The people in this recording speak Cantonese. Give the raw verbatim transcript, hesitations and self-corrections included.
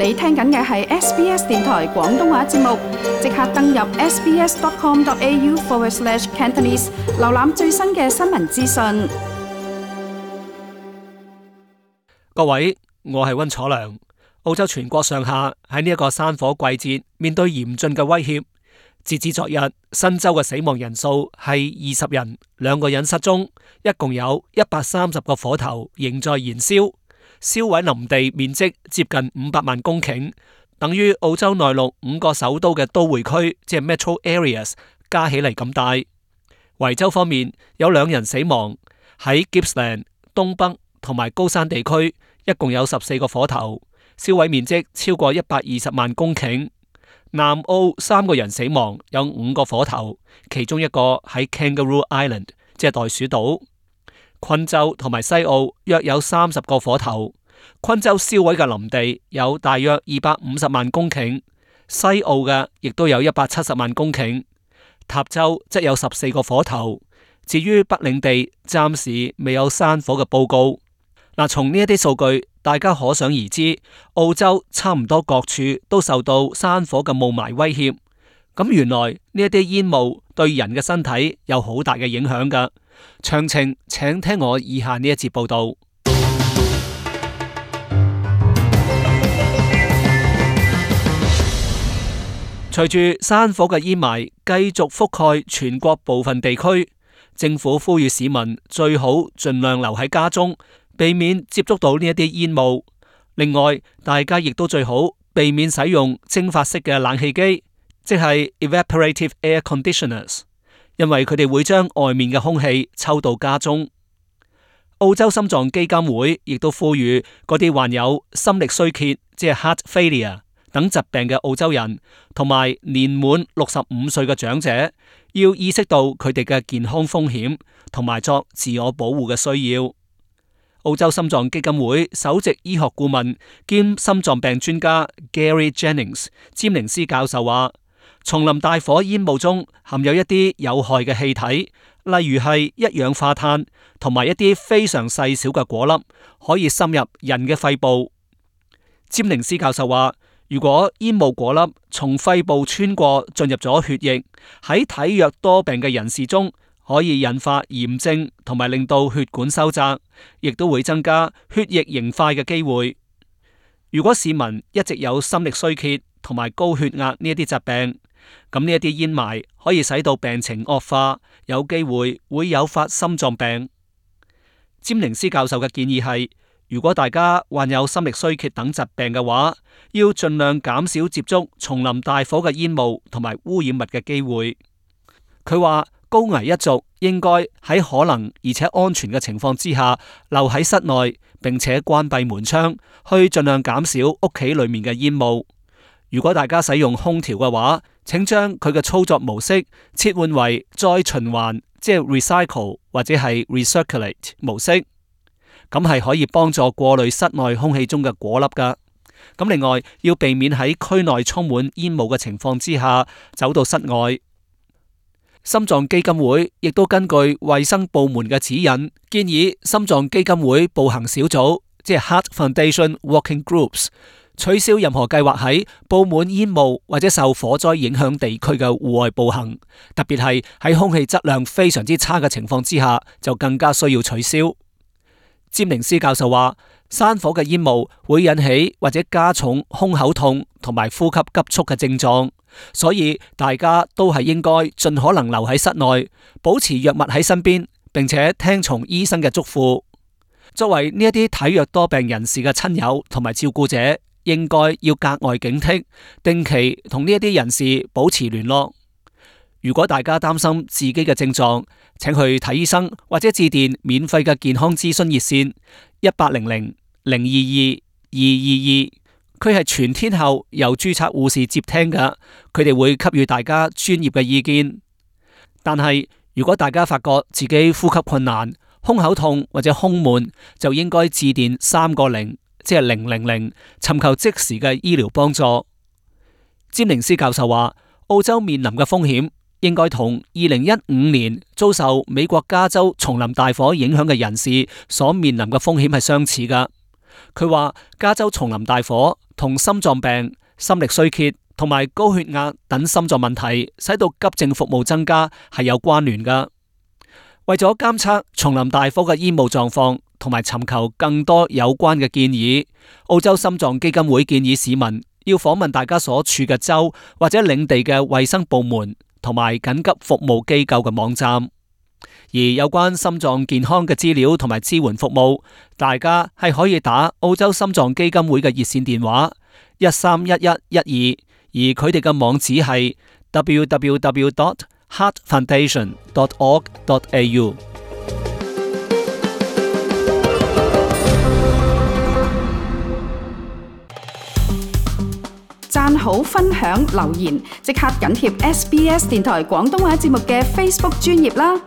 你聽緊嘅係 S B S 電台廣東話節目，即刻登入 sbs.com.au forward slash Cantonese， 瀏覽最新嘅新聞資訊。各位，我係溫楚良。澳洲全國上下喺呢一個山火季節面對嚴峻嘅威脅。截至昨日，新州嘅死亡人數係二十人，兩個人失蹤，一共有一百三十個火頭仍在燃燒，燒毀林地面積接近五百萬公頃，等於澳洲內陸五個首都嘅都會區，即係 Metro Areas 加起嚟咁大。維州方面有兩人死亡，喺 Gippsland 東北同埋高山地區，一共有十四個火頭，燒毀面積超過一百二十萬公頃。南澳三個人死亡，有五個火頭，其中一個喺 Kangaroo Island， 即係袋鼠島。昆州同埋西澳約有三十個火頭，昆州燒毀嘅林地有大約二百五十萬公頃，西澳嘅亦都有一百七十萬公頃。塔州則有十四個火頭，至於北領地暫時未有山火嘅報告。嗱，從呢一啲數據，大家可想而知，澳洲差唔多各處都受到山火嘅霧霾威脅。咁原來呢一啲煙霧對人嘅身體有好大嘅影響噶。詳情請聽我以下呢一節報道。隨住山火嘅煙霾繼續覆蓋全國部分地區，政府呼籲市民最好盡量留喺家中，避免接觸到呢一啲煙霧。另外，大家亦都最好避免使用蒸發式嘅冷氣機，即係 evaporative air conditioners， 因為佢哋會將外面嘅空氣抽到家中。澳洲心臟基金會亦都呼籲嗰啲患有心力衰竭，即係 heart failure 等疾病嘅澳洲人，同埋年滿六十五歲嘅長者，要意識到佢哋嘅健康風險，同埋作自我保護嘅需要。澳洲心臟基金會首席醫學顧問兼心臟病專家 Gary Jennings 詹寧斯教授話，叢林大火煙霧中含有一啲有害嘅氣體，例如係一氧化碳同埋一啲非常細小嘅果粒，可以滲入人嘅肺部。詹寧斯教授話，如果煙霧果粒從肺部穿過進入咗血液，喺體弱多病嘅人士中，可以引發炎症同埋令到血管收窄，亦都會增加血液凝塊嘅機會。如果市民一直有心力衰竭同埋高血壓呢一啲疾病，咁呢一啲煙霾可以使到病情惡化，有機會會誘發心臟病。詹寧斯教授嘅建議係，如果大家患有心力衰竭等疾病嘅話，要盡量減少接觸叢林大火嘅煙霧同埋污染物嘅機會。佢話，高危一族應該喺可能而且安全嘅情況之下留喺室內，並且關閉門窗，去盡量減少屋企裏面嘅煙霧。如果大家使用空調嘅話，請將佢嘅操作模式切換為再循環，即係 recycle 或者係 recirculate 模式，咁係可以幫助過濾室內空氣中嘅果粒噶。咁另外要避免喺區內充滿煙霧嘅情況之下走到室外。心臟基金會亦都根據衛生部門嘅指引，建議心臟基金會步行小組，即係 Heart Foundation Walking Groups， 取消任何計劃喺佈滿煙霧或者受火災影響地區嘅戶外步行，特別係喺空氣質量非常之差嘅情況之下，就更加需要取消。詹寧斯教授話，山火嘅煙霧會引起或者加重胸口痛同埋呼吸急促嘅症狀，所以大家都係應該盡可能留喺室內，保持藥物喺身邊，並且聽從醫生嘅囑咐。作為呢一啲體弱多病人士嘅親友同埋照顧者，應該要格外警惕，定期同呢一啲人士保持聯絡。如果大家擔心自己嘅症狀，請去睇醫生或者致電免費嘅健康諮詢熱線一八零零零二二二二二，佢係全天候由註冊護士接聽㗎，佢哋會給予大家專業嘅意見。但係如果大家發覺自己呼吸困難、胸口痛或者胸悶，就應該致電三個零，即係零零零，尋求即時嘅醫療幫助。詹寧斯教授話，澳洲面臨嘅風險應該同二零一五年遭受美國加州叢林大火影響嘅人士所面臨嘅風險係相似噶。佢話加州叢林大火同心臟病、心力衰竭同埋高血壓等心臟問題，使到急症服務增加係有關聯㗎。為咗監測叢林大火嘅煙霧狀況，同埋尋求更多有關嘅建議，澳洲心臟基金會建議市民要訪問大家所處嘅州或者領地嘅衛生部門同埋緊急服務機構嘅網站。而有關心臟健康嘅資料同埋支援服務，大家係可以打澳洲心臟基金會嘅熱線電話一三一一一二，而佢哋嘅網址係 w w w dot heart foundation dot org dot a u。讚好、分享、留言，即刻緊貼 S B S 電台廣東話節目嘅 Facebook 專頁啦！